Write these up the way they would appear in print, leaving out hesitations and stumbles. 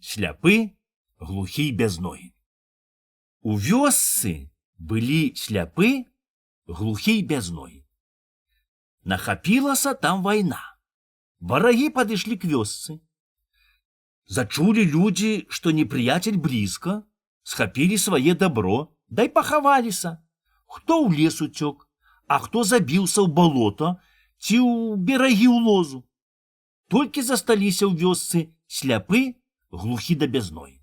сляпы, глухі і без ногі. У вёсцы былі сляпы, глухі і без ногі. Нахапілася там вайна. Варагі падышлі к вёсцы. Зачулі людзі, што непрыяцель блізка, схапілі свае дабро, дай пахаваліся. Хто ў лес уцёк, а хто забіўся ў балота ці ў берагі ў лозу. Толькі засталіся ў вёсцы сляпы, глухі да без ногі.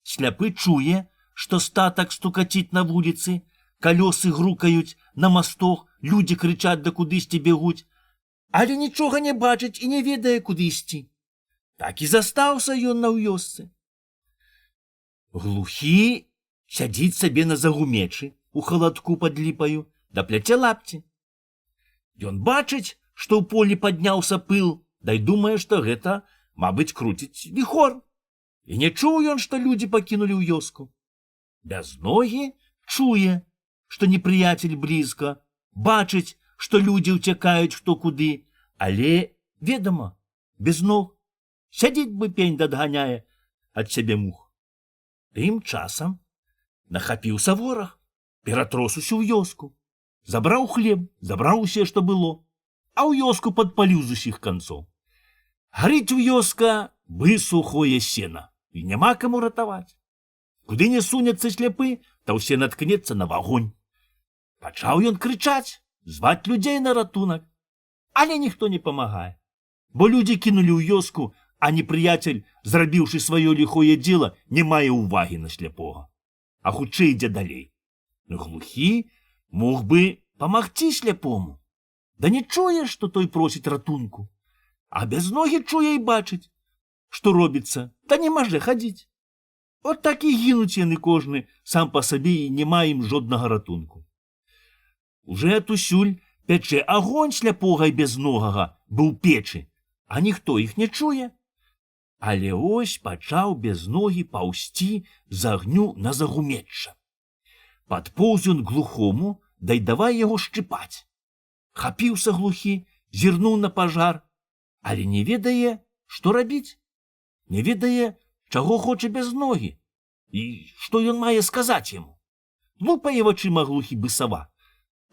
Сляпы чуе, што статак стукаціць на вуліцы, калёсы грукаюць на мастох, людзі крычаць да кудысьці бегуць, але нічога не бачыць і не ведае, куды ісці. Так і застаўся ён на вёсцы. Глухі сядзіць сабе на загумечы у халадку пад ліпаю, да пляце лапці. Ён бачыць, што ў полі падняўся пыл, дай думае, што гэта, мабыць, круціць віхор. І не чуў ён, што людзі пакінулі ў вёску. Без ногі чуе, што непрыяцель блізка, бачыць, што людзі ўцякаюць хто куды, але, ведама, без ног. Сядзіць бы пень дадганяе ад сябе мух. Тым часам нахапіўся вораг, ператрос усю вёску, забраў хлеб, забраў усе, што было, а ў вёску падпаліў з усіх канцоў. Гарыць вёска бы сухое сена, і няма каму ратаваць. Куды не сунецца сляпы, то ўсе наткнецца на вагонь. Пачаў ён крычаць, зваць людзей на ратунак, але ніхто не памагае, бо людзі кінулі ў вёску, а непрыяцель, зрабіўшы сваё ліхое дзела, не мае ўвагі на сляпога, а хутчэй ідзе далей. Глухі мог бы памагчы сляпому, да не чуе, што той просіць ратунку, а без ногі чуе і бачыць, што робіцца, да не можа хадзіць. От так і гінуць яны кожны сам па сабе і няма ім жоднага ратунку. Уже атусюль пячэ агонь сляпога і безногага быў печы, а ніхто іх не чуе. Але ось пачаў без ногі паўсці з агню на загумечча. Падпоўз ён глухому, дай давай яго шчыпаць. Хапіўся глухі, зірнуў на пажар, але не ведае, што рабіць. Не ведае, чаго хоча без ногі, і што ён мае сказаць яму. Лупае вачыма глухі бысава,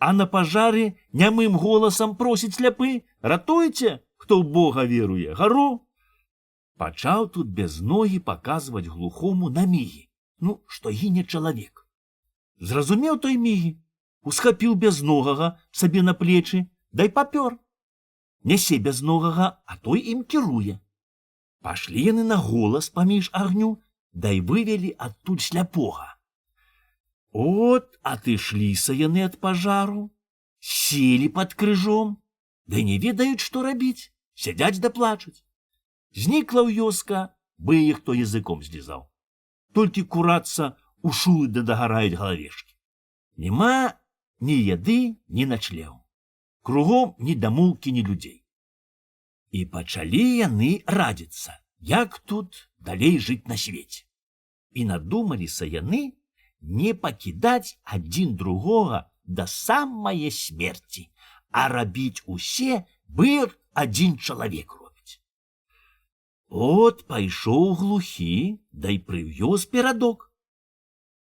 а на пажары нямым голасам просіць сляпы: «Ратуйце, хто ў Бога веруе, гару!» Пачаў тут без ногі паказваць глухому на мігі, што гіне чалавек. Зразумеў той мігі, усхапіў безногага сабе на плечы, дай папёр. Нясе безногага, а той ім кіруе. Пашлі яны на голас паміж агню, дай вывелі адтуль сляпога. От атышліся яны ад пажару, селі пад крыжом, ды не ведаюць, што рабіць, сядзяць да плачуць. Знікла ў вёска, бы іх хто языком злізаў. Толькі курацца у шулы да дагараюць галавешкі. Нема ні яды, ні начлегу. Кругом ні дамоўкі, ні людзей. І пачалі яны радзіцца, як тут далей жыць на свеце. І надумаліся яны не пакідаць адзін другога да самае смерці, а рабіць усе, бы адзін чалавек робіць. От пайшоў глухі, дай прывёз перадок.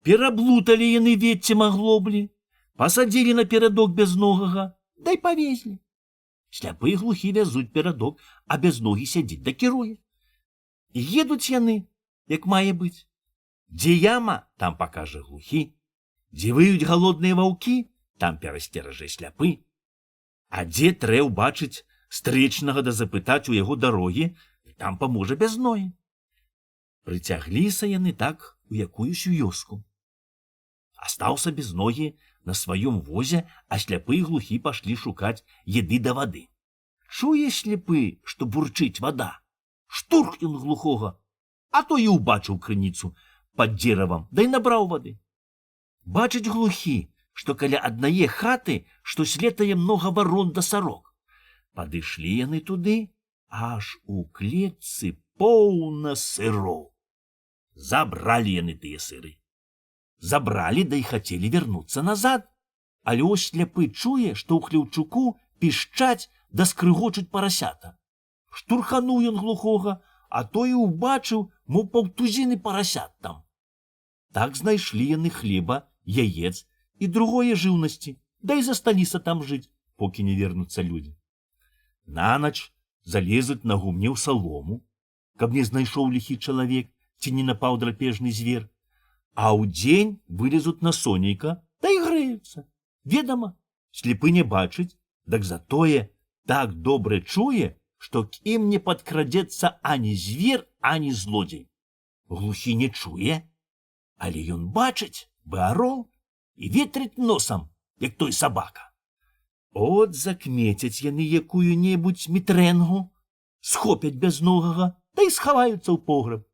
Пераблуталі яны веццем аглоблі, пасадзілі на перадок безногага, дай павезлі. Сляпы і глухі вязуць перадок, а безногі сядзіць да кіруе. Едуць яны, як мае быць. Дзе яма, там пакажа глухі. Дзе выюць галодныя ваўкі, там перасцеражэ сляпы. А дзе трэ ўбачыць стрэчнага да запытаць у яго дарогі, там паможа безногі. Прыцягліся яны так у якуюсь вёску. Астаўся безногі на сваём возе, а сляпы і глухі пашлі шукаць еды да вады. Чуе сляпы, што бурчыць вада. Штурх ён глухога, а то і ўбачыў крыніцу пад дзеравам, дай набраў вады. Бачыць глухі, што каля аднае хаты штось летае многа варон да сарок. Падышлі яны туды, аж у клетцы поўна сыроў. Забралі яны тыя сыры. Забралі, да і хацелі вярнуцца назад. Але ось сляпы чуе, што ў хлеўчуку пішчаць да скрыгочуць парасята. Штурхануў ён глухога, а той і ўбачыў мо паўтузіны парасят там. Так знайшлі яны хлеба, яец і другое жыўнасці, да і засталіся там жыць, покі не вернуцца людзі. Нанач залезуць на гумне ў салому, каб не знайшоў ліхі чалавек ці не напаў драпежны звер, а ўдзень вылезуць на сонейка, да і грэюцца. Ведама, слепы не бачыць, дак затое так добра чуе, што к ім не падкрадзецца ані звер, ані злодзей. Глухі не чуе, але ён бачыць бы арол і ветрыць носам, як той сабака. От закмецяць яны якую-небудзь мітрэнгу, схопяць бязногага, да і схаваюцца ў погреб.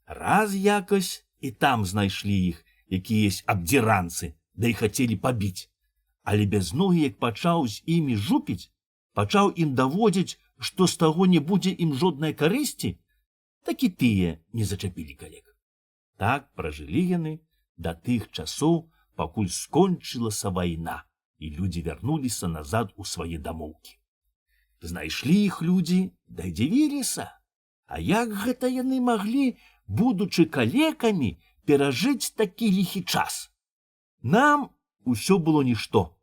Раз якось і там знайшлі іх якіясь абдзіранцы, да і хацелі пабіць. Але бязногі, як пачаў з імі жупіць, пачаў ім даводзіць, што з таго не будзе ім жоднай карысці, так і тыя не зачапілі калек. Так пражылі яны да тых часоў, пакуль скончылася вайна, і людзі вярнуліся назад у свае дамоўкі. Знайшлі іх людзі, да і дзівіліся. А як гэта яны маглі, будучы калекамі, перажыць такі ліхі час? Нам усё было нішто,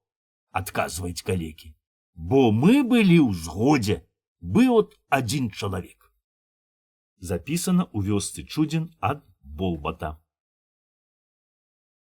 адказваюць калекі, бо мы былі ў згодзе, быў от адзін чалавек. Запісана ў вёсцы Чудзін ад Болбата.